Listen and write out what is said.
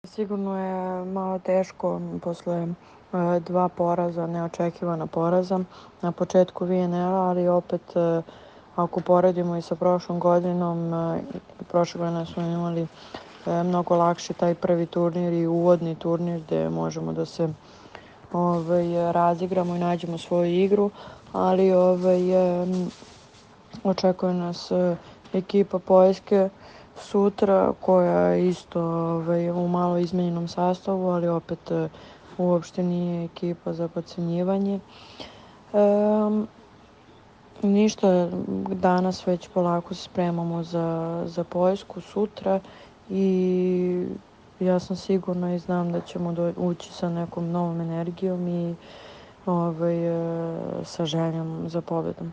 Sigurno je malo teško posle dva poraza, neočekivana poraza na početku VNL-a, ali opet ako poredimo i sa prošlom godinom, prošle godine smo imali mnogo lakše taj prvi turnir i uvodni turnir gde možemo da se razigramo i nađemo svoju igru, ali očekuje nas ekipa Poljske sutra koja je isto u malo izmenjenom sastavu, ali opet uopšte nije ekipa za podcenjivanje. Ništa, danas već polako se spremamo za Poljsku sutra i ja sam sigurna i znam da ćemo ući sa nekom novom energijom i sa željom za pobedom.